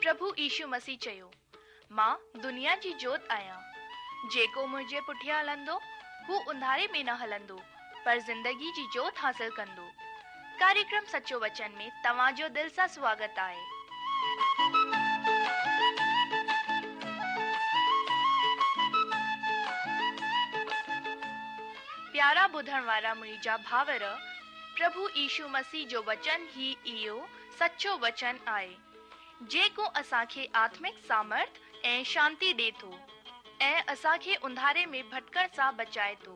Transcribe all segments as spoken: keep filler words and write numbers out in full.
پرڀو يشو مسيح چيو، مان دنيا جي جوت آهيان. جيڪو منهنجي پٺيان هلندو، هو انڌاري ۾ نه هلندو، پر زندگي جي جوت حاصل ڪندو. ڪاريڪرم سچو وچن ۾ توهان جو دل سان سواگت آهي. پيارا ٻڌڻ وارا منهنجا ڀائر، پرڀو يشو مسيح جو وچن ئي اهو سچو وچن آهي، جيڪو اسان کي آتمڪ سامرٿ ۽ شانتي ڏي ٿو ۽ اسان کي انڌاري ۾ ڀٽڪڻ سان بچائي ٿو.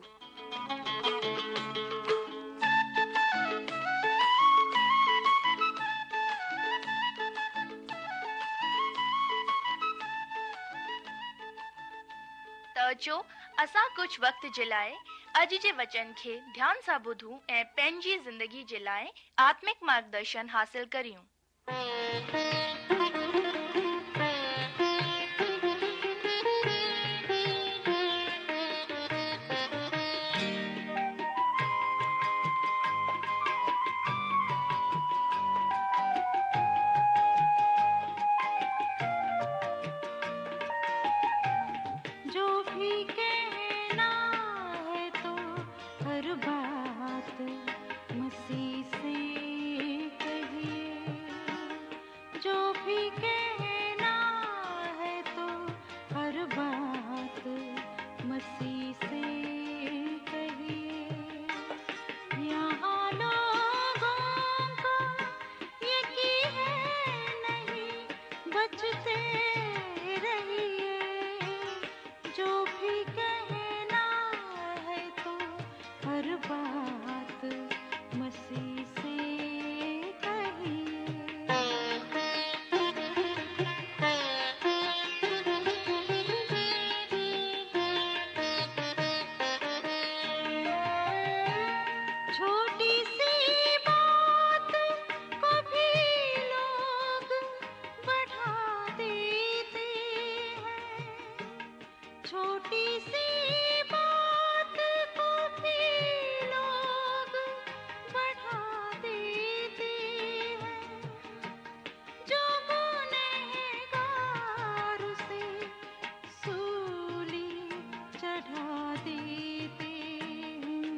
ته اچو اسان ڪجهه وقت جي لاء اڄ جي وچن کي ڌيان سان ٻڌون ۽ پنهنجي زندگي جي لاء آتمڪ مارگدرشن حاصل ڪريون. जो भी कहना है तो हर बात मसीह से कहिए। जो भी कहना है तो हर बात मसीह से कहिए। यहाँ लोगों का यकीन है नहीं, बचते रहिए। जो भी कहना है तो हर बात मसीह से कहिए। छोटी सी बात को भी लोग बढ़ा देते हैं। छोटी सी बात को भी लोग बढ़ा देते हैं। जो गुनहगार उसे सूली चढ़ा देते हैं।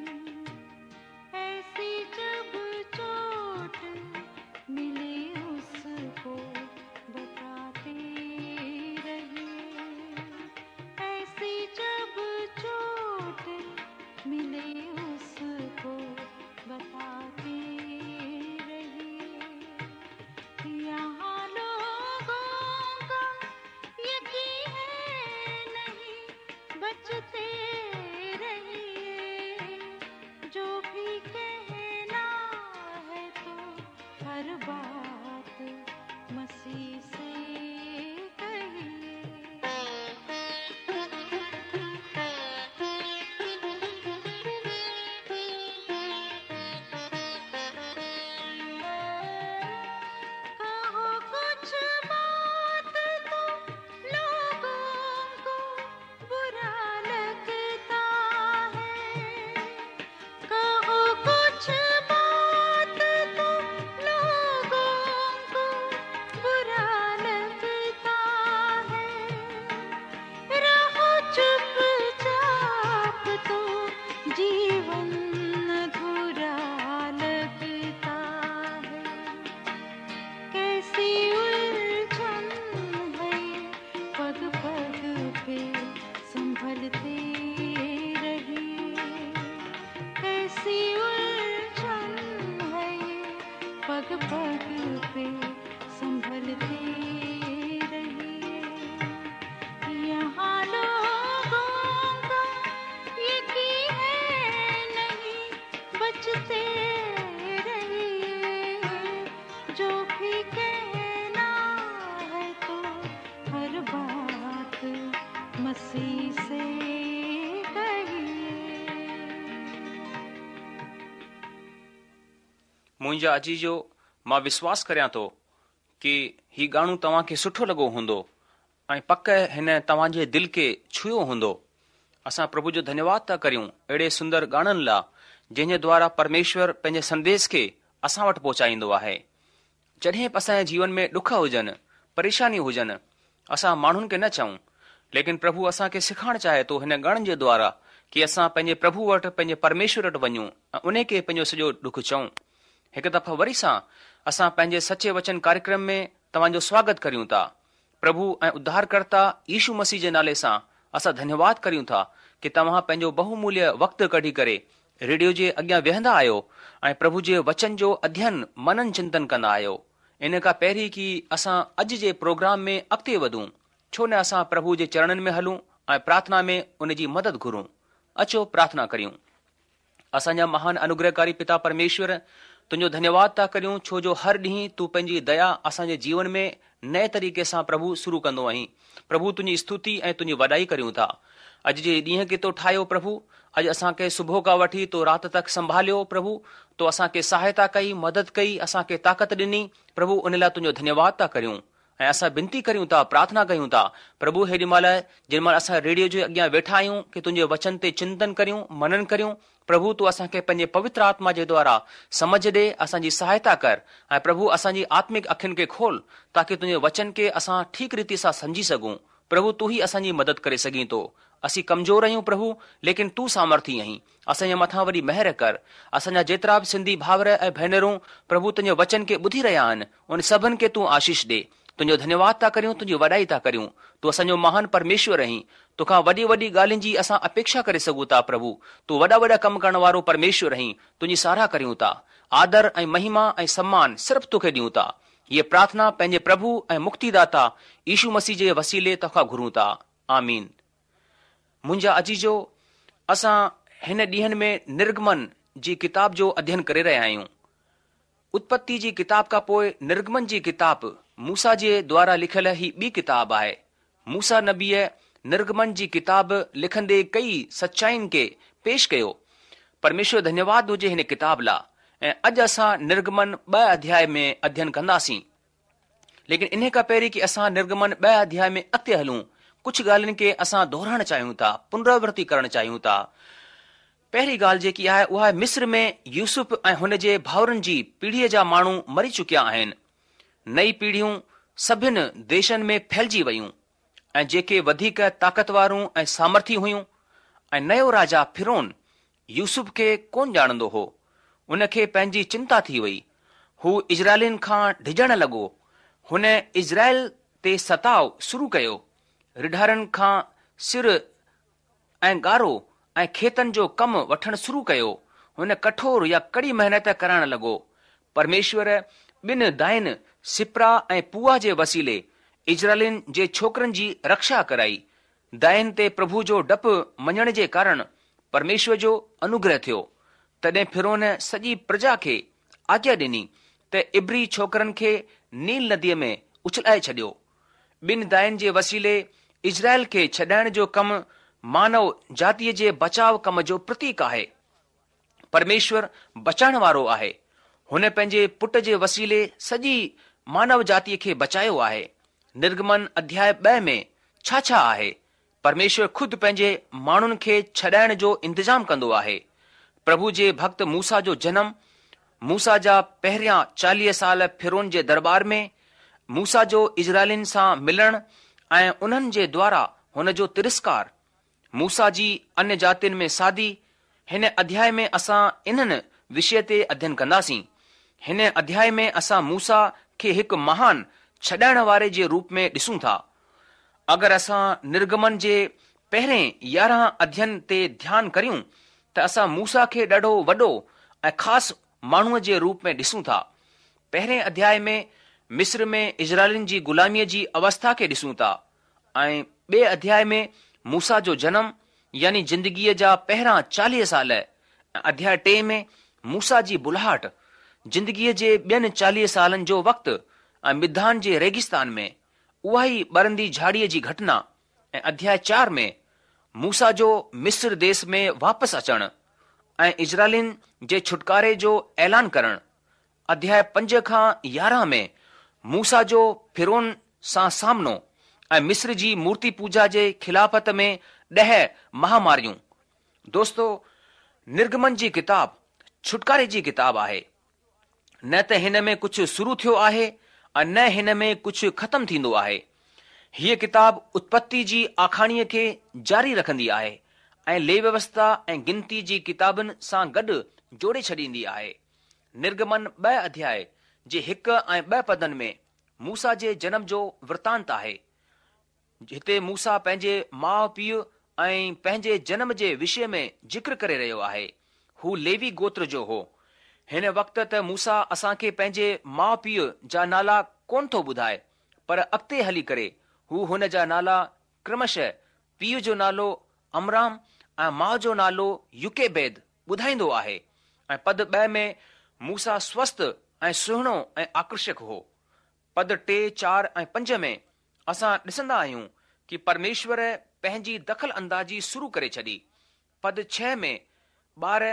ऐसी जब चोट मिले उसको बताते रहिए। ऐसी जब चोट मिले उसको बताते रहिए। यहाँ लोगों का यकीन है नहीं, बचते रहिए। जो भी कहना है तो हर बात मसीह से कहिए। कहो कुछ बात तो लोगों को बुरा लगता है। कहो कुछ बात तो लोगों को बुरा लगता है। रहो चुपचाप तो जीवन अधूरा लगता है। कैसी उलझन है पग पग पे संभलते रहिए। कैसी उलझन है पग पग पे संभलते रहिए। यहाँ लोगों का यकीन है नहीं, बचते रहिए। जो भी कहना है तो हर बात मसीह से कहिए। मुंहिंजा अजीजो, मां विश्वास करियां थो की ही गाणो तव्हांखे सुठो लॻो हूंदो ऐं पक हिन तव्हांजे दिलि खे छुयो हूंदो। असां प्रभु जो धन्यवाद था करियूं अहिड़े सुंदर गाणनि लाइ जंहिंजे द्वारा परमेश्वर पंहिंजे संदेश खे असां वटि पहुचाईंदो आहे। जॾहिं बि असांजे जीवन में ॾुख हुजनि, پريشانيون هجن، اسان ماڻهن کي نه چئون. ليڪن پرڀو اسان کي سيکارڻ چاهي ٿو هن گاڻن جي دوارا ڪي اسان پنهنجي پرڀو وٽ، پنهنجي پرميشور وٽ وڃون ۽ انهي کي پنهنجو سڄو ڏک چئون. هڪ دفعو وري سان اسان پنهنجي سچي وچن ڪاريڪرم ۾ توهان جو سواگت ڪريون ٿا. پرڀو ۽ اڌارڪرتا يشو مسيح جي نالي سان اسان ڌنيواد ڪريون ٿا ڪي توهان پنهنجو بهوموليه وقت ڪڍي ڪري ريڊيو جي اڳيان ويهندا آهيو ۽ پرڀو جي وچن جو اڌين منن چنتن ڪندا آهيو. ان کان پهرين ڪي اسان اڄ جي پروگرام ۾ اڳتي وڌون، ڇو نه اسان پرڀو جي چرڻن ۾ هلون ۽ پرارٿنا ۾ ان جي مدد گهرون. اچو پرارٿنا ڪريون. اسان جا مهان انوگرهڪاري پتا پرميشور، تنهنجو ڌنيواد ٿا ڪريون ڇو جو هر ڏينهن تون پنهنجي ديا اسان جي جيون ۾ نئين طريقي سان پرڀو شروع ڪندو آهين. پرڀو تنهنجي استتي ۽ تنهنجي وڏائي ڪريون ٿا. اڄ جي ڏينهن کي تو ٺاهيو پرڀو، اڄ اسان کي صبح کان وٺي تو رات تڪ سنڀاليو پرڀو، تو اسان کي سهائتا ڪئي، مدد ڪئي، اسان کي طاقت ڏني پرڀو، ان لاءِ تنهنجو ڌنيواد ٿا ڪريون ۽ اسان بنتي ڪريون ٿا، پرارٿنا ڪيون ٿا پرڀو هيڏي مهل جنهن مهل اسان ريڊيو جي اڳيان ويٺا آهيون ڪي تنهنجي وچن تي چنتن ڪريون، منن ڪريون پرڀو، تون اسان کي پنهنجي پوتر آتما جي دوارا سمجهه ڏي، اسان جي سهائتا ڪر ۽ پرڀو اسان جي آتمڪ اکين کي کول تاڪه تنهنجي وچن کي اسان ٺيڪ ريتي سان سمجهي سگهون. پرڀو تون ئي اسان جي مدد ڪري سگهين ٿو. اسين ڪمزور آهيون پرڀو، ليڪن تون سامرٿي آهين. اسان جي مٿان وڏي مهر ڪر. اسان جا جيترا به سنڌي ڀائر ۽ ڀينرون پرڀو تنهنجي وچن کي ٻڌي رهيا آهن، ان سڀن کي تون آشيش ڏي. تنهنجو ڌنيواد ٿا ڪريون، تنهنجي وڏائي ٿا ڪريون. تون اسان جو مهان پرميشور آهين. توکان وڏي وڏي ڳالهين جي اسان اپيڪشا ڪري سگهون ٿا پرڀو. تون وڏا وڏا ڪم ڪرڻ وارو پرميشور آهين. تنهنجي ساراهه ڪريون ٿا. آدر ۽ مهما ۽ سمان صرف توکي ڏيون ٿا. هيءَ پرارٿنا پنهنجي پرڀو ۽ مڪتيداتا يشو مسيح جي وسيلي توکان گهرون ٿا. آمين. منهنجا عزيزو، اسان هن ڏينهن ۾ نرگمن جي ڪتاب جو اڌين ڪري رهيا آهيون. اتپتي جي ڪتاب کان پوءِ نرگمن جي ڪتاب موسيٰ جي دوارا لکيل هي ٻي ڪتاب آهي. موسيٰ نبيءَ نرگمن جي ڪتاب لکندي ڪئي سچائين کي پيش ڪيو. پرميشور ڌنيواد هجي هن ڪتاب لاءِ. ۽ اڄ اسان نرگمن ٻه اڌياءِ ۾ اڌين ڪنداسين. ليڪن ان کان پهرين ڪه اسان نرگمن ٻه اڌياءِ ۾ اڳتي هلون، ڪجهه ڳالهين کي اسان دهرائڻ چاهيون ٿا، پنراورتي ڪرڻ چاهيون ٿا. پهرين ڳالهه جيڪي آهي اها آهي مصر ۾ يوسف ۽ هن جي ڀائرن جي پيڙهيءَ جا ماڻهو مري چڪيا آهن. نئي پيڙهيون سڀني ديشن ۾ ڦهلجي ويون ۽ جيڪي وڌيڪ طاقتورون ۽ سامرٿي هيون ۽ نيو راجا فرعون يوسف کي ڪونه ڄاڻندو هو. ان کي پنهنجي چنتا ٿي وئي. هو اسرائيلين کان ڊڄڻ لڳو. هن اسرائيل تي ستاءُ شروع ڪيو. رڍارن کان سر ۽ گارو ۽ کيتن جو ڪم وٺڻ شروع ڪيو. هن ڪٺور يا ڪڙي محنت ڪرائڻ لڳو. پرميشور ٻن داين سپرا ۽ پوئا جي وسيلي اسرائيلين جي ڇوڪرن جي رڪشا ڪرائي. داين تي پرڀو جو ڊپ مڃڻ جي ڪارڻ پرميشور جو انوگره ٿيو. تڏهن فرعون سڄي پرجا کي آگيا ڏني ته عبري ڇوڪرن کي نيل نديءَ ۾ اڇلائي ڇڏيو. ٻن داين جي وسيلي اسرائيل کي ڇڏائڻ جو ڪم مانو جاتيءَ جي بچاءُ ڪم جو پرتيڪ آهي. پرميشور بچائڻ وارو آهي. هن پنهنجي پٽ جي وسيلي سڄي مانو جاتيءَ کي بچايو آهي. نرگمن اڌياءِ ٻه ۾ ڇا ڇا آهي؟ پرميشور خود پنهنجي ماڻهن کي ڇڏائڻ جو انتظام ڪندو آهي. پرڀو جي ڀڪت موسيٰ جو جنم، موسيٰ جا پهريان چاليهه سال فرعون جي دربار ۾، موسيٰ جو اسرائيلين سان ملڻ ۽ انهن جي دوارا هن جو ترسڪار، موسيٰ جي انيه جاتين ۾ شادي. هن اڌياءِ ۾ اسان انهن وشيه تي اڌين ڪنداسين. هن اڌياءِ ۾ اسان موسيٰ کي هڪ مهان ڇڏائڻ واري جي روپ ۾ ڏسون ٿا. اگر اسان نرگمن جي پهرين يارهن اڌين تي ڌيان ڪريون ته اسان موسيٰ کي ڏاڍو وڏو ۽ خاص ماڻهوءَ جي روپ ۾ ڏسون ٿا. پهرين اڌياءِ ۾ مصر ۾ اسرائيلين جي غلاميءَ جي اوسٿا کي ڏسون ٿا ۽ ٻئي اڌياءِ ۾ موسيٰ جو جنم يعني زندگيءَ جا پهريان چاليهه سال ۽ اڌياءِ ٽي ۾ موسيٰ جي بلاهٽ زندگيءَ جي ٻين چاليهه سالن جو وقت ۽ مڌان جي ريگستان ۾ اها ئي ٻرندي جهاڙيءَ جي گهٽنا ۽ اڌياءِ چار ۾ موسيٰ جو مصر ديس ۾ واپس اچڻ ۽ اسرائيلين جي ڇوٽڪاري جو اعلان ڪرڻ. اڌياءِ پنج کان يارهن ۾ موسيٰ جو فرعون سان سامنو ۽ مصر جي مورتي پوڄا جي خلافت ۾ ڏهه مهاماريون. دوستو، نرگمن جي ڪتاب ڇوٽڪاري جي ڪتاب آهي. نه ته هن ۾ ڪجهه شروع ٿيو آهي ۽ نه هن ۾ ڪجهه ختم ٿيندو آهي. هيء ڪتاب اتپتي جي آکاڻيء کي جاري رکندي آهي ۽ ليويوسٿا ۽ گنتي جي ڪتابن سان گڏ جوڙي ڇڏيندي آهي. نرگمن ٻه اڌياء جي هڪ ۽ ٻه پدن ۾ موسيٰ جي جنم جو ورتانت آهي. هتي موسيٰ پنهنجي ماء پيء ۽ پنهنجي جنم جي وشي ۾ ذڪر ڪري رهيو آهي. هو ليوي گوتر جو هو. هن وقت ته موسيٰ اسان کي پنهنجي ماء پيء جا نالا ڪونه ٿو ٻڌائي، پر اڳتي هلي ڪري هو هن جا نالا ڪرمشه پيء جو نالو عمرام ۽ ماء جو نالو يوڪيبيد ٻڌائيندو آهي ۽ پد ٻه ۾ موسيٰ سوسٿ ۽ سهڻو ۽ آڪرشڪ هو. پد ٽي، چار ۽ پنج ۾ اسان ڏسندا آهيون ڪي پرميشور پنهنجي دخل اندازي شروع ڪري ڇڏي. پد ڇهه ۾ ٻار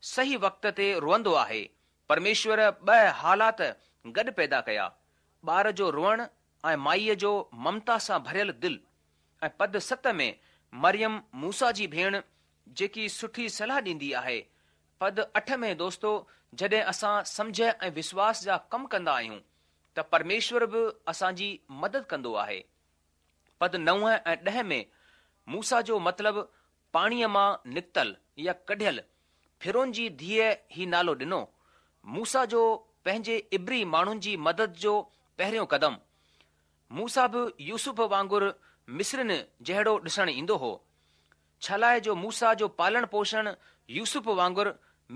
صحيح وقت تي روئندو آهي. پرميشور ٻه حالات گڏ پيدا ڪيا، ٻار جو روئڻ ۽ مائيء جو ممتا سان ڀريل دل. ۽ پد ست ۾ مريم موسيٰ جي ڀيڻ جيڪي سٺي صلاح ڏيندي آهي. پد اٺ ۾ دوستو جڏهن اسان سمجهه ۽ وشواس جا ڪم ڪندا آهيون ته پرميشور به اسان جي مدد ڪندو آهي. پد نو ۽ ڏهه ۾ موسيٰ جو مطلب پاڻيء مان نڪتل يا ڪڍيل، فرعون جي ڌيء هي نالو ڏنو. موسيٰ جو پنهنجي عبري ماڻهن جي مدد جو پهريون قدم. موسيٰ به يوسف وانگر مصرين جهڙو ڏسڻ ايندو هو. ڇالاء جو موسيٰ جو پالڻ پوشڻ يوسف وانگر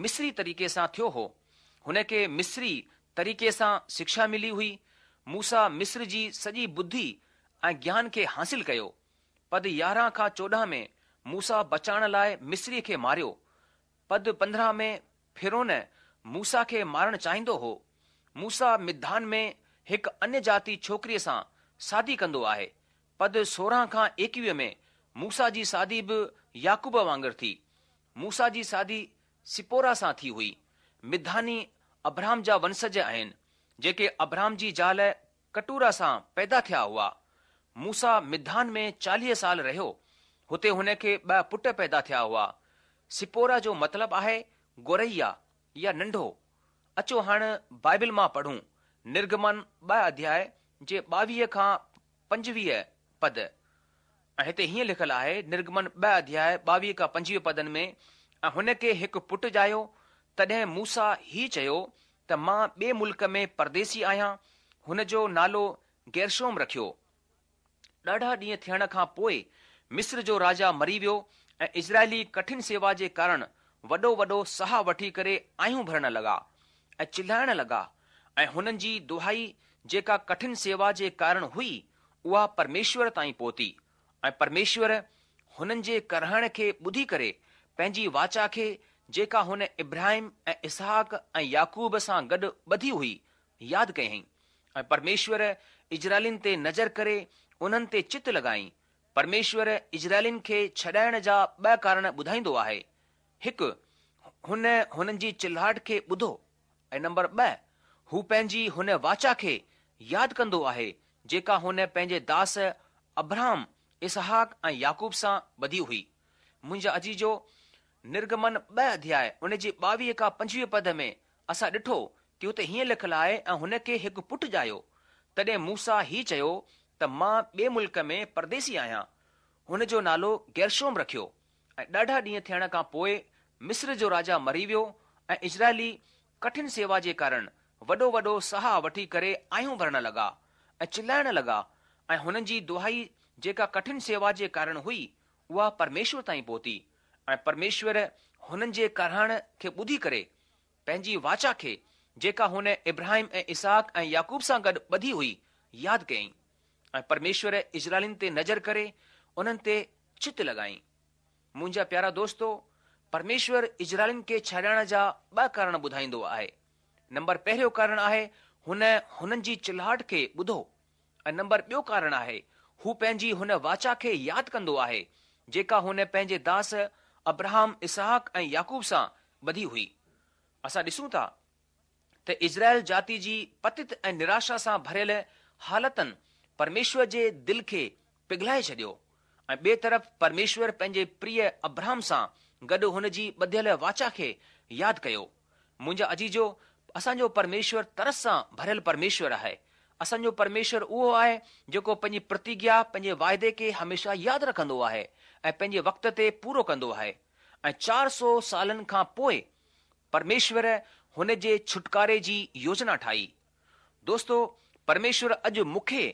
مصري طريقي سان ٿيو هو. هن کي مصري طريقي سان شکشا ملي هئي. موسيٰ مصر جي سڄي ٻڌي ۽ گيان کي حاصل ڪيو. پد يارهن کان چوڏهن ۾ موسيٰ بچائڻ لاء مصري کي ماريو. پد پندرهن ۾ فرعون موسيٰ کي مارڻ چاهيندو هو. موسيٰ مديان ۾ هڪ انيه جاتي ڇوڪريء سان شادي ڪندو آهي. پد سورهن کان ايڪويهه ۾ موسيٰ جي شادي به يعقوب وانگر ٿي. موسيٰ جي شادي سپورا سان ٿي هئي. مدياني ابرهام جا ونشج آهن، جيڪي ابرهام جي زال قطوره سان پيدا ٿيا هئا. موسيٰ مديان ۾ چاليهه سال رهيو. هتي هن کي ٻه پٽ پيدا ٿيا هئا. سپورا جو مطلب آهي گورئيا يا ننڍو. اچو هاڻ بائبل مان پڙهون نرگمن ٻه اڌياء جي ٻاويهه کان پنجويهه پد. ۽ هتي هيئن لکيل آهي نرگمن ٻه اڌياء ٻاويهه کان پنجويهه پدن ۾ ۽ هن کي هڪ پٽ ڄايو، تڏهن موسيٰ هي چيو ته مان ٻئي ملڪ ۾ پرديسي آهيان، هن جو نالو گيرشوم رکيو. ڏاڍا ڏينهن ٿيڻ کان پوء مصر جو راجا مري ويو ۽ اسرائيلي ڪٺن سيوا جي ڪارڻ وڏو وڏو ساهه وٺي ڪري آهون ڀرڻ لڳا ۽ چلائڻ لڳا ۽ هنن جي دهائي جيڪا ڪٺن سيوا جي ڪارڻ هئي اها پرميشور تائين پهتي ۽ پرميشور هنن جي ڪرهائڻ کي ٻڌي ڪري پنهنجي واچا کي جيڪا هن ابراهيم ۽ اسحاق ۽ يعقوب سان گڏ ٻڌي هئي ياد ڪيائين ۽ پرميشور اسرائيلين تي نظر ڪري انهن تي چت لڳائين. پرميشور اسرائيلين کي ڇڏائڻ جا ٻه ڪارڻ ٻڌائيندو آهي. هڪ، هن هنن جي چلاهٽ کي ٻڌو ۽ نمبر ٻه، هو پنهنجي هن واچا کي ياد ڪندو آهي جيڪا هن پنهنجي داس ابراهام، اسحاق ۽ يعقوب سان ٻڌي هئي. منهنجا عزيزو، نرگمن ٻه اڌياء ان جي ٻاويهه کان پنجويهه پد ۾ اسان ڏٺو ڪي هتي هيئن لکيل آهي ۽ هن کي هڪ پٽ ڄايو. تڏهن موسيٰ هي چيو ته مان ٻئي ملڪ ۾ پرديسي آهيان. هن جو نالو گيرشوم رکيو. ۽ ڏاڍا ڏينهن ٿيڻ کان پوء مصر جو راجا مري ويو ۽ اسرائيلي ڪٺن سيوا جي ڪارڻ وڏو وڏو ساهه وٺي ڪري آهون ڀرڻ لڳا ۽ چلائڻ لڳا ۽ هنن جي دهائي جيڪا ڪٺن سيوا جي ڪارڻ هئي اها پرميشور تائين پهتي ۽ پرميشور هنن جي ڪرهائڻ کي ٻڌي ڪري پنهنجي واچا کي جيڪا هن ابراهيم ۽ اسحاق ۽ يعقوب سان گڏ ٻڌي هئي ياد ڪيائين ۽ پرميشور اسرائيلين تي نظر ڪري انهن تي چت لڳائين. منهنجا پيارا دوستو، پرميشور اسرائيلين کي ڇڏائڻ جا ٻه ڪارڻ ٻڌائيندو آهي. نمبر پهريون ڪارڻ آهي هن هنن جي چلاهٽ کي ٻڌو ۽ نمبر ٻيو ڪارڻ آهي هو پنهنجي هن واچا کي ياد ڪندو آهي جيڪا هن پنهنجي داس ابراهام، اسحاق ۽ يعقوب سان ٻڌي هئي. اسان ڏسون ٿا ته اسرائيل جاتي جي پتت ۽ نراشا سان ڀريل حالتن پرميشور جي دل کي پگهلائي ڇڏيو ۽ ٻئي طرف پرميشور پنهنجي پريه ابراهام سان گڏ هن جي ٻڌيل واچا کي ياد ڪيو. منهنجا عزيزو، اسان جو پرميشور ترس سان ڀريل پرميشور آهي. اسان جو پرميشور اهو آهي جيڪو پنهنجي پرتگيا، پنهنجي واعدي کي هميشه ياد رکندو آهي ۽ پنهنجي وقت تي پورو ڪندو آهي. ۽ چار سؤ سالن کان پوء پرميشور هن جي ڇوٽڪاري جي يوجنا ٺاهي. دوستو، پرميشور اڄ مون کي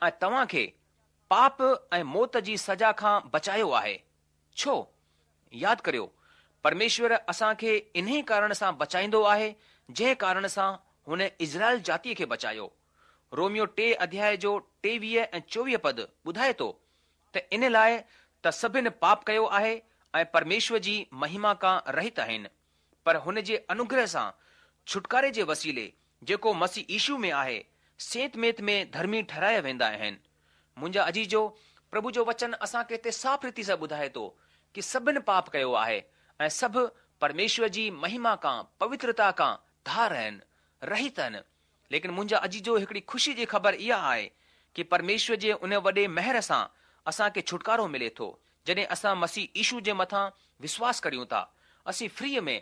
۽ توهان کي پاپ ۽ موت جي سزا کان بچايو آهي. ڇو؟ ياد ڪريو، پرميشور اسان کي انهي ڪارڻ سان بچائيندو آهي جنهن ڪارڻ سان هن اسرائيل جاتيء کي بچايو. روميو ٽي اڌياء جو ٽيويهه ۽ چوويهه پد ٻڌائي ٿو ته ان لاء ته سڀن پاپ ڪيو آهي ۽ پرميشور جي مهما کان رهت آهن، پر هن جي انوگره سان ڇوٽڪاري جي وسيلي جيڪو مسيح يشو ۾ آهي، سيت ميت ۾ ڌرمي ٺهرايا ويندا آهن. منهنجا عزيزو، پرڀو جو وچن اسان کي هتي صاف ريتي سان ٻڌائي ٿو ڪي سڀن پاپ ڪيو آهي ۽ سڀ پرميشور جي مهما کان، پوترتا کان ڌار آهن، رهت آهن. ليڪن منهنجا عزيزو هڪڙي خوشي جي خبر اها آهي ڪي پرميشور جي ان وڏي مهر سان اسان کي ڇوٽڪارو ملي ٿو جڏهن اسان مسيح يشو جي مٿان وشواس ڪريون ٿا. اسين فريء ۾،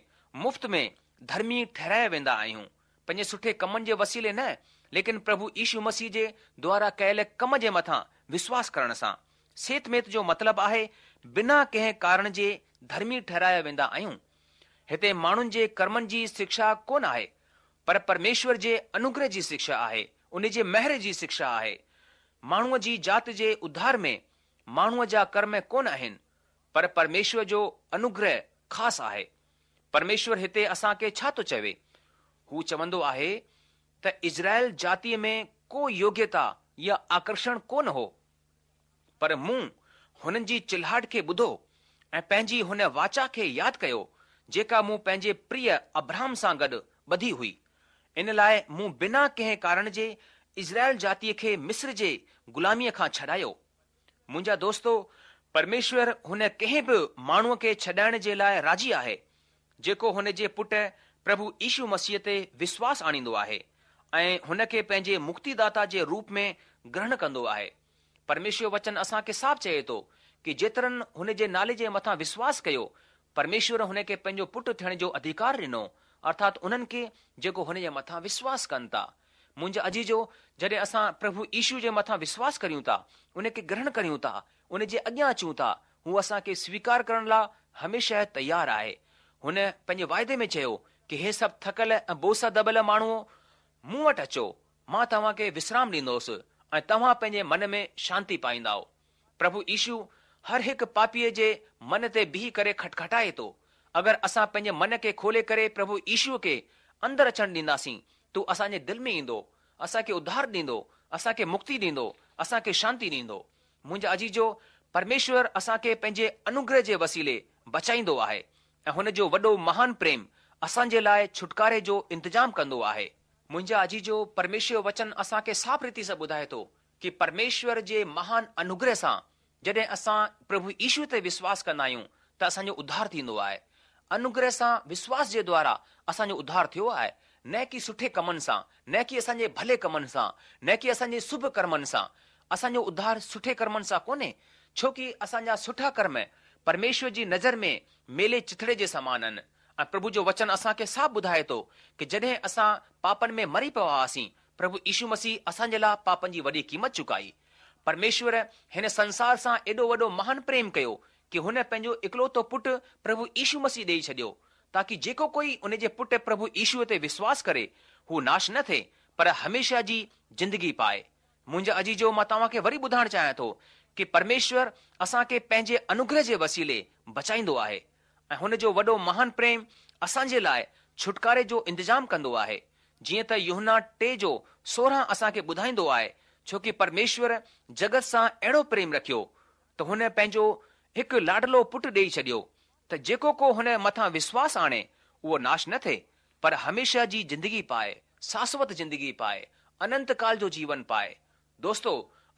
مفت ۾ ڌرمي ٺهرايا ويندا آهيون، پنهنجي سٺي ڪمن جي وسيلي نه، ليڪن پرڀو يشو مسيح جي دوارا ڪيل ڪم جي مٿان وشواس ڪرڻ سان. سيت ميت جو مطلب آهي بنا ڪنهن ڪارڻ جي ڌرمي ٺهرايا ويندا آهيون. هتي ماڻهن جي ڪرمن جي شڪشا ڪونه آهي، پر پرميشور جي انوگره جي شڪشا آهي، ان جي مهر جي شڪشا آهي. ماڻهوء جي ذات جي اڌار ۾ ماڻهوء جا ڪرم ڪونه آهن، پر پرميشور جو انوگره خاص آهي. پرميشور هتي اسان کي ڇا ٿو چوي؟ هو چوندو آهي ته اسرائيل جاتيء ۾ ڪو يوگيتا يا آڪرشڻ ڪونه هو، پر مون هنن جي چلاهٽ کي ٻڌو ۽ پنهنجي هن واچا کي ياد ڪيو، جيڪا مون پنهنجي پريه ابرهام سان گڏ ٻڌي هئي. ان لاء مون بنا ڪنهن ڪارڻ جي اسرائيل جاتيء کي مصر جي غلاميء کان ڇڏايو. منهنجا دوستو، پرميشور هن ڪنهن به ماڻهوء کي ڇڏائڻ جي لاء راضي آهي، جيڪو هن جي پٽ پرڀو يشو مسيح تي وشواس آڻيندو آهي ۽ هن کي پنهنجي مڪتيداتا جي روپ ۾ گرهڻ ڪندو آهي. پرميشور وچن اسان کي صاف چئي ٿو ڪي جيترن هن جي نالي جي مٿان وشواس ڪيو، پرميشور هن کي پنهنجو پٽ ٿيڻ جو اڌيڪار ڏنو، ارٿات انهن کي جيڪو هن جي مٿان وشواس ڪن ٿا. منهنجا عزيزو، جڏهن اسان پرڀو يشو جي مٿان وشواس ڪريون ٿا، ان کي گرهڻ ڪريون ٿا، ان جي اڳيان اچون ٿا، هو اسان کي سويڪار ڪرڻ لاء هميشه تيار آهي. هن پنهنجي واعدي ۾ چيو ڪي هي سڀ ٿڪل ۽ بوجه سان دٻيل ماڻهو مون وٽ اچو، مان توهان کي وشرام ڏيندوس ۽ توهان پنهنجي من ۾ شانتي پائيندائو. پرڀو يشو هر هڪ پاپيء جي من تي بيهي ڪري کٽکٽائي ٿو. اگر اسان پنهنجي من کي کولي ڪري پرڀو يشو کي اندر اچڻ ڏينداسين ته اسان جي دل ۾ ايندو، اسان کي اڌار ڏيندو، اسان کي مڪتي ڏيندو، اسان کي شانتي ڏيندو. منهنجا عزيزو، پرميشور اسان کي پنهنجي انوگره جي وسيلي بچائيندو آهي ۽ هن جو وڏو مهان پريم اسان جي لاء ڇوٽڪاري جو انتظام ڪندو آهي. منهنجا عزيزو، پرميشور جو وچن اسان کي صاف ريتي سان ٻڌائي ٿو ڪي پرميشور جي مهان انوگره سان جڏهن اسان پرڀو يشو تي وشواس ڪندا آهيون ته اسان جو اڌار ٿيندو آهي. انوگره سان وشواس جي دوارا اسان جو اڌار ٿيو آهي، نه ڪي سٺي ڪمن سان، نه ڪي اسان جي ڀلي ڪمن سان، نه ڪي اسان جي شڀ ڪرمن سان. اسان جو اڌار سٺي ڪرمن سان ڪونهي، ڇو ڪي اسان جا سٺا ڪرم پرميشور جي نظر ۾ ميلي چٿڙي جي سمان آهن ۽ پرڀو جو وچن اسان کي صاف ٻڌائي ٿو ڪي جڏهن اسان پاپن ۾ مري پيا هئاسين، پرڀو يشو مسيح اسان جي لاء پاپن جي وڏي قيمت چڪائي. پرميشور هن سنسار سان ايڏو وڏو مهان پريم ڪيو ڪي هن پنهنجو اڪلوتو پٽ پرڀو يشو مسيح ڏيئي ڇڏيو تاڪي جيڪو ڪوئي ان جي پٽ پرڀو يشو تي وشواس ڪري هو ناش نه ٿئي پر هميشه جي زندگي پائي. منهنجا عزيزو مان توهان کي وري ٻڌائڻ چاهيان ٿو ڪي پرميشور اسان کي پنهنجي انوگره جي وسيلي بچائيندو آهي ۽ هن جو وڏو مهان پريم اسان جي لاء ڇوٽڪاري جو انتظام ڪندو آهي جيئن ته يوحنا ٽي جو سورهن اسان کي ٻڌائيندو آهي ڇو ڪي پرميشور جڳت سان اهڙو پريم رکيو ته هن پنهنجو هڪ لاڏلو پٽ ڏيئي ڇڏيو ته جيڪو ڪو هن مٿان وشواس آڻي اهو ناش نه ٿئي پر هميشه جي زندگي پائي، شاشوت زندگي پائي، اننت ڪال جو جيون پائي. دوستو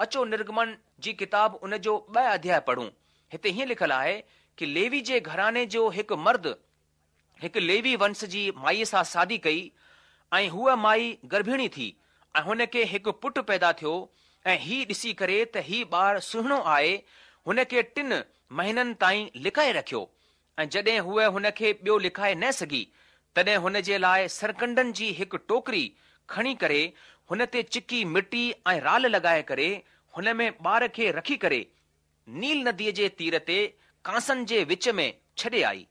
اچو نرگمن جي ڪتاب ان جو ٻه اڌياء پڙهون. هتي هيئن لکيل آهي ڪي ليوي جي گهراڻي جو هڪ مرد هڪ ليوي ونش جي مائيء سان شادي ڪئي ۽ هوء مائي گرڀيڻي ٿي ۽ هن کي هڪ پٽ پيدا ٿيو ۽ هي ڏسي ڪري ته هي ٻار سهڻو آهي هن کي ٽن مهينن تائين لڪائي رکيو ۽ جڏهن هوء هن کي ٻيو لڪائي نه سگهي تڏهن هن جي لاء سرڪنڊن جي هڪ ٽوڪري کڻي ڪري هن تي چڪي مٽي ۽ رال لڳائي ڪري هن ۾ ٻار کي رکي ڪري نيل نديءَ جي تير تي ڪانسن جي وچ ۾ ڇڏي آئي.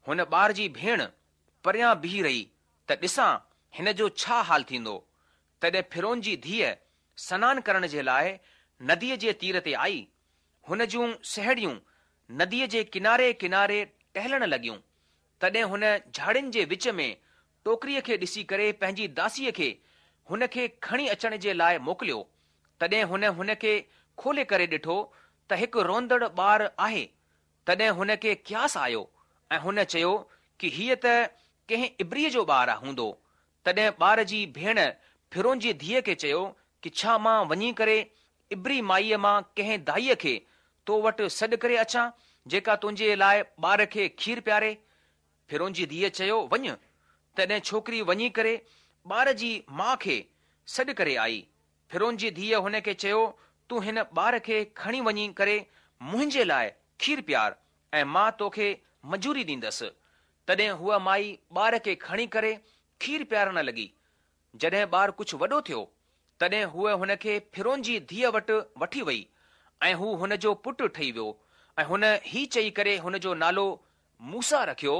هن ٻار جي ڀيڻ پريان بيهي رهي ته ڏسان هن جو ڇا حال ٿيندو. تڏهن فرعون جي ڌيءَ سنان ڪرڻ جي لاءِ نديءَ جي تير تي آئي. هن جون ساهيڙيون نديءَ جي ڪناري ڪناري ٽهلڻ لڳيون. تڏهن هن جهاڙين جي وچ ۾ ٽوڪريءَ کي ڏسي ڪري پنهنجي داسيءَ کي هن کي کڻي اچڻ جي لاءِ موڪليو. تڏهن هن هن کي کولي ڪري ڏٺو ته هڪ روئندڙ ٻار آهي. تڏهن هن کي قياس آيو ۽ هن چيو ڪه هيءَ ته ڪنهن عبريءَ جو ٻار هوندو. تڏهن ٻار جي ڀيڻ فرعون جي ڌيءَ کي چيو ڪه ڇا مان وڃي ڪري عبري مائيءَ مان ڪنهن دائيءَ کي تو وٽ سڏ ڪري اچان جيڪا تنهنجي لاءِ ٻار کي کير پياري؟ فرعون جي ڌيءَ چيو، وڃ. تڏهن ڇوڪري وڃي ڪري ٻار جي ماءُ کي سڏ ڪري آئي. فرعون جي ڌيءَ هن کي چيو، تون هن ٻار کي کڻي وڃي ڪري منهنجي لاءِ کير پيار ۽ مان توکي مزوري ڏيندس. تڏهن هوءَ مائي ٻار کي کڻي ڪري کير پيارڻ لڳي. جڏهن ٻار ڪجهه وڏو ٿيو تڏهن هوءَ هن کي فرعون جي ڌيءَ وٽ وٺي وئي ۽ هو هن جو پٽ ٺهي ويو. ۽ هن هي چئي ڪري هن جو نالو موسيٰ رکيو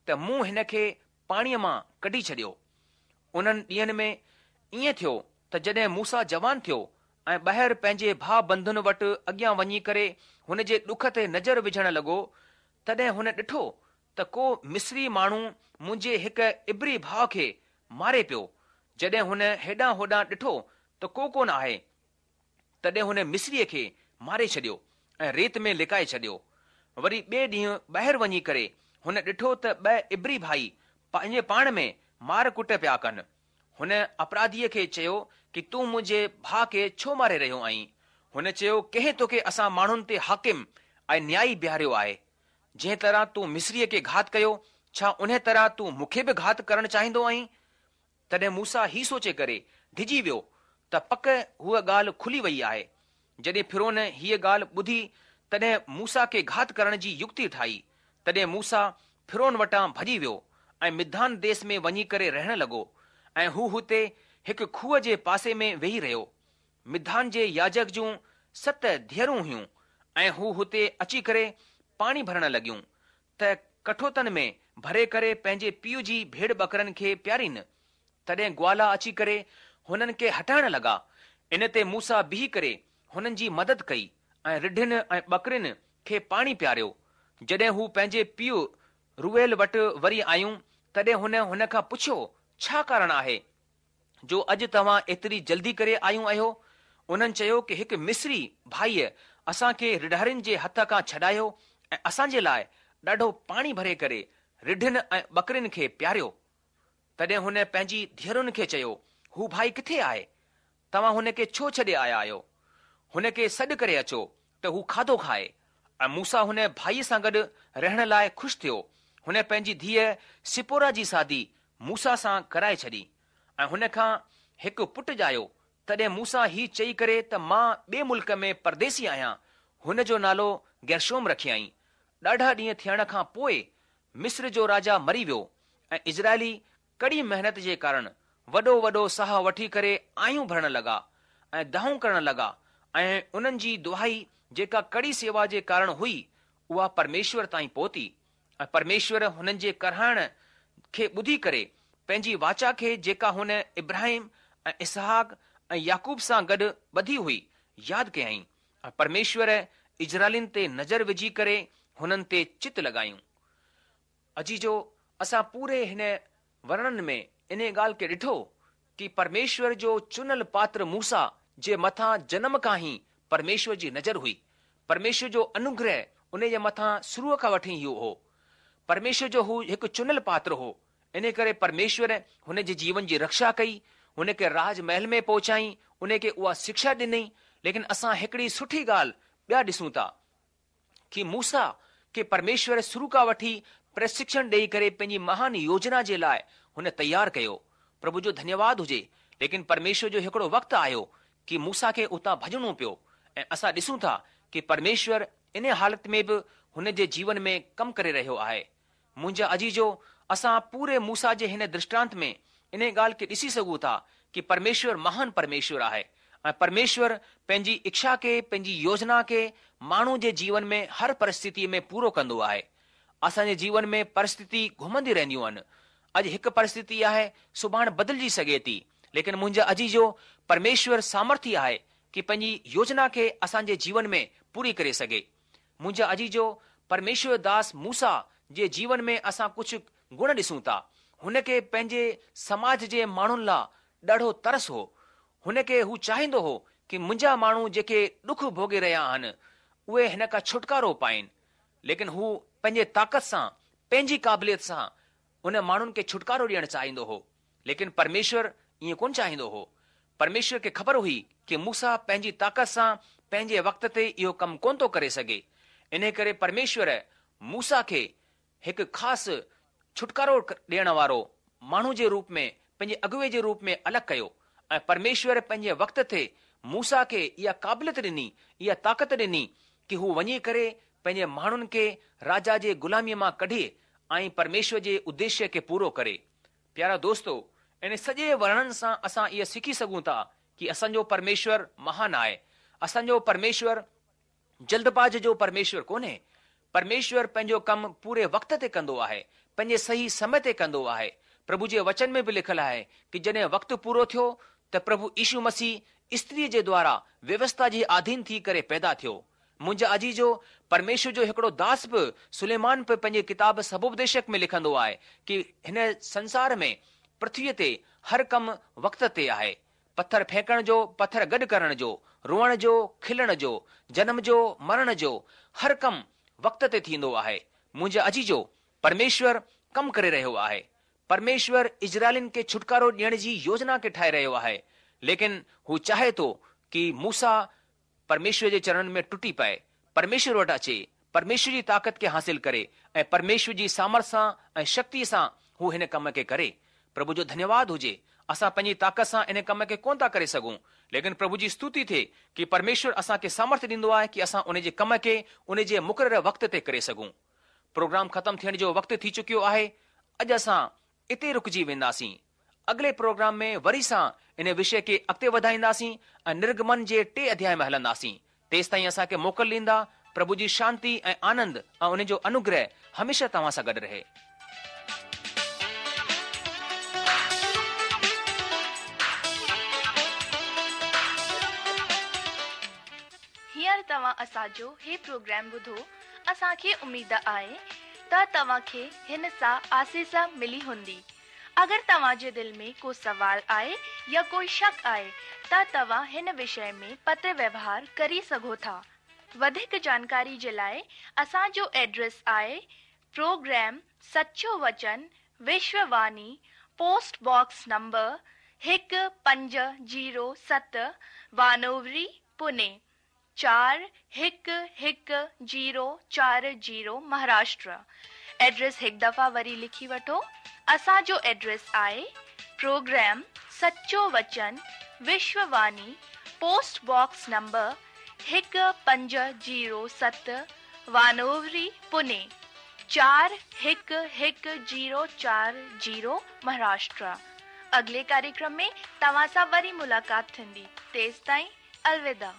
ته مون هن کي پاڻيءَ مان ڪڍي ڇڏيو. انهن ڏينهن ۾ ائين ٿيو ته جڏهن موسيٰ جوان ٿيو ۽ ٻاهر پنهنجي ڀاءُ بنڌن وٽ اڳيان وڃي ڪري هن جي ڏک تي نظر وجهڻ لڳو، تڏهن هن ڏٺو ته ڪو مصري ماڻهو منهنجي هڪ عبري ڀاءُ کي ماري پيو. جڏهن هن هيڏانهن هوڏانهن ڏٺو ته ڪو ڪونه آهي، تڏهن هن مصريءَ کي ماري ڇڏيو ۽ ريت ۾ لڪائي ڇڏيو. وري ٻئي ڏينهن ٻاهر وڃي ڪري هن ڏٺو ته ٻه عبري ڀائي پنهنجي پاڻ ۾ مار ڪٽ پيا ڪن. هن اپراڌيءَ کي چيو ڪه تون منهنجي ڀاءُ کي ڇو ماري رهيو آهين؟ هن چيو، ڪنهن توکي اسان ماڻهن تي حاڪم ۽ نيائي بيهاريو آهي؟ جنهن طرح تون مصريءَ کي گهات ڪيو، ڇا انهيءَ طرح تون مون کي به گهات ڪرڻ چاهيندو آهين؟ تڏهن موسيٰ هي سوچي ڪري ڊڄي ويو ته پڪ هوءَ ڳالهه کلي وئي آهي. جڏهن فرعون هيءَ ڳالهه ٻڌي تڏهن موسيٰ کي گهات ڪرڻ جي يڪتي ٺاهي. تڏهن موسيٰ فرعون وٽان ڀڄي ويو ۽ مديان ديس ۾ وڃي ڪري رهڻ لڳو ۽ هو هتي هڪ کوهه جي پاسي ۾ ويهي رهيو. مديان جي ياجڪ جون ست ڌيئرون هيون ۽ هو هتي اچي ڪري پاڻي ڀرڻ لڳيون ته ڪٺوتن ۾ ڀري ڪري پنهنجي پيءُ جي ڀيڙ ٻڪرن کي پيارين. تڏهن گوالا اچي ڪري هنن کي هٽائڻ لڳا. ان تي موسيٰ بيهي ڪري هنن جي مدد ڪئي ۽ رڍن ۽ ٻڪرين کي پاڻي پياريو. جڏهن هو پنهنجي پيءُ رعوئيل وٽ وري آيون تڏهن هن هن کان پڇيو، ڇا ڪارڻ آهي جو اڄ توهان ايتري جلدي ڪري آيون آهيو؟ انهن چيو ڪه هڪ مصري ڀائيءَ اسان کي رڍارين جي هٿ کان ڇڏايو ۽ اسان جي لاءِ ڏاڍو پاڻي ڀري ڪري رڍن ۽ ٻڪرين کي پياريو. تڏهن هن پنهنجي ڌيئرن کي چيو، هو ڀائي ڪٿي آهي؟ توهان هن کي ڇو ڇڏي آيا آهيو؟ هن کي سڏ ڪري اچو ته هو کاڌو کائي. ۽ موسيٰ هن ڀائيءَ سان گڏ رهڻ لاءِ خوش ٿيو. هن پنهنجي ڌيءَ سپورا جي شادي موسيٰ سان ڪرائي ڇڏي ۽ هن کان هڪ پٽ ڄايو. تڏهن موسيٰ هي چئي ڪري ته مان ٻئي ملڪ ۾ پرديسي آهيان، هن جو نالو گيرشوم رکيائين. ڏاڍا ڏينهن ٿيڻ کان پوءِ مصر جو راجا مري ويو ۽ اسرائيلي ڪڙي محنت جي ڪارڻ وڏو وڏو ساهه وٺي ڪري آهيون ڀرڻ لڳا ۽ دانهون ڪرڻ لڳا ۽ انهن جي دهائي جيڪا ڪڙي سيوا جي ڪارڻ هئي اها پرميشور تائين پهتي. ۽ پرميشور هنن جي ڪرهائڻ کي ٻڌي ڪري پنهنجي واچا کي جيڪا هن ابراهيم ۽ اسحاق ۽ يعقوب سان گڏ ٻڌي هئي ياد ڪيائين. ۽ پرميشور اسرائيلين تي نظر وجهي ڪري هنن تي چت لڳايون. عزيزو، اسان پوري هن ورڻن ۾ ان ڳالهه کي ڏٺو ڪه پرميشور جو چنل پاتر موسيٰ جي مٿان جنم کان ئي پرميشور جي نظر هئي. پرميشور جو انوگره ان جي مٿان شروع کان وٺي ئي هو. پرميشور جو هو هڪ چنل پاتر هو. ان ڪري پرميشور هن جي جيون جي رڪشا ڪئي، هن کي راج محل ۾ پهچائين، هن کي اها شڪشا ڏني. ليڪن اسان هڪڙي سٺي ڳالهه ٻيا ڏسون ٿا ڪه موسيٰ کي پرميشور شروع کان وٺي پرشڪشڻ ڏيئي ڪري پنهنجي مهان يوجنا جي لاءِ هن تيار ڪيو. پرڀو جو ڌنيواد هجي. ليڪن پرميشور جو هڪڙو وقت آيو ڪه موسيٰ کي اتان ڀڄڻو پيو ۽ اسان ڏسون ٿا ڪه پرميشور ان حالت ۾ به هن جي جيون ۾ ڪم ڪري رهيو آهي. منهنجا عزيزو، اسان پوري موسيٰ جي هن درشٽانت ۾ ان ڳالهه کي ڏسي سگهون ٿا ڪي پرميشور مهان پرميشور آهي ۽ پرميشور پنهنجي اڇا کي، پنهنجي يوجنا کي ماڻهو جي جيون ۾ هر پرسٿتيء ۾ پورو ڪندو آهي. اسان جي جيون ۾ پرسٿتي گهمندي رهنديون آهن. اڄ هڪ پرسٿتي آهي، سڀاڻي بدلجي سگهي ٿي، ليڪن منهنجا عزيزو پرميشور سامرٿي آهي ڪي پنهنجي يوجنا کي اسان جي جيون ۾ پوري ڪري سگهي. منهنجا عزيزو پرميشور داس موسيٰ جي جيون ۾ اسان ڪجهه گڻ ڏسون ٿا. هن کي پنهنجي سماج جي ماڻهن لاء ڏاڍو ترس هو. هن کي هو چاهيندو هو ڪي منهنجا ماڻهو جيڪي ڏک ڀوڳي رهيا آهن اهي هن کان ڇوٽڪارو پائين، ليڪن هو پنهنجي طاقت سان، پنهنجي قابليت سان ان ماڻهن کي ڇوٽڪارو ڏيڻ چاهيندو هو، ليڪن پرميشور ائين ڪونه چاهيندو هو. پرميشور کي خبر هئي ڪي موسيٰ پنهنجي طاقت سان پنهنجي وقت تي اهو ڪم ڪونه ٿو ڪري سگهي. ان ڪري پرميشور موسيٰ کي هڪ خاص ڇوٽڪارو ڏيڻ وارو ماڻهو جي روپ ۾ پنهنجي اڳوي جي روپ ۾ الڳ ڪيو ۽ پرميشور پنهنجي وقت تي موسيٰ کي اها قابليت ڏني، اها طاقت ڏني ڪي هو وڃي ڪري پنهنجي ماڻهن کي راجا جي غلاميء مان ڪڍي ۽ پرميشور جي اديشيه کي پورو ڪري. پيارا دوستو، ان سڄي ورڻن سان اسان اها سکي سگهون ٿا ڪي اسان جو پرميشور مهان آهي. اسان جو پرميشور جلدباز جو پرميشور ڪونهي. پرميشور پنهنجو ڪم پوري وقت تي ڪندو آهي، پنهنجي صحيح سمي تي ڪندو آهي. پرڀو جي وچن ۾ به لکيل آهي ڪي جڏهن وقت پورو ٿيو ته پرڀو يشو مسيح استريء جي دوارا ويوسٿا جي آڌين ٿي ڪري پيدا ٿيو. منهنجا عزيزو، پرميشور جو هڪڙو داس به سليمان به پنهنجي ڪتاب سڀوپديشڪ ۾ لکندو آهي ڪي هن سنسار ۾ پرٿويء تي هر ڪم وقت تي آهي. پٿر ڦينڪڻ جو، پٿر گڏ ڪرڻ جو، روئڻ جو، کلڻ جو، جنم جو، مرڻ جو، هر ڪم وقت تي ٿيندو آهي. منهنجا عزيزو، پرميشور ڪم ڪري رهيو آهي. پرميشور اسرائيلين کي ڇوٽڪارو ڏيڻ جي يوجنا کي ٺاهي رهيو آهي، ليڪن هو چاهي ٿو ڪي موسيٰ پرميشور جي چرڻن ۾ ٽٽي پئي، پرميشور وٽ اچي، پرميشور جي طاقت کي حاصل ڪري ۽ پرميشور جي سامرٿ سان ۽ شڪتيء سان هو هن ڪم کي ڪري. پرڀو جو ڌنيواد هجي، اسان پنهنجي طاقت سان ان ڪم کي ڪونه ٿا ڪري سگهون، ليڪن پرڀو جي استوتي ٿئي ڪي پرميشور اسان کي سامرٿ ڏيندو آهي ڪي اسان ان جي ڪم کي ان جي مقرر وقت تي ڪري سگهون. پروگرام ختم ٿيڻ جو وقت ٿي چڪيو آهي، اڄ اسان اتي رڪجي وينداسين. اڳلي پروگرام ۾ وري سان ان وشي کي اڳتي وڌائينداسين ۽ نرگمن جي ٽي اڌياء ۾ هلنداسين. تيستائين اسان کي موڪل ڏيندا. پرڀو جي شانتي ۽ آنند ۽ ان جو انوگره هميشه توهان سان گڏ رهي. هينئر توهان اسان جو هي پروگرام ٻڌو. اسان کي اميد آهي ته توهان کي هن سان آسيس ملي هوندي. اگر توهان جي دل ۾ ڪو سوال آهي يا ڪوئي شڪ آهي ته توهان هن وشي ۾ پتر ويوهار ڪري سگهو ٿا. وڌيڪ جانڪاري جي لاءِ اسان جو ايڊريس آهي پروگرام سچو وچن، وشوواني، پوسٽ باڪس نمبر هڪ پنج زيرو ست، وانووري، پوني چار هڪ هڪ زيرو چار زيرو، مهاراشٽر. ايڊريس هڪ دفعا وري لکي وٺو. اسان جو ايڊريس آهي پروگرام سچو وچن، وشوواني، پوسٽ باڪس نمبر هڪ پنج زيرو ست، وانووري، پوني چار هڪ هڪ زيرو چار زيرو، مهاراشٽر. اڳلي ڪاريڪرم ۾ توهان سان وري ملاقات ٿيندي. تيستائين الوداع.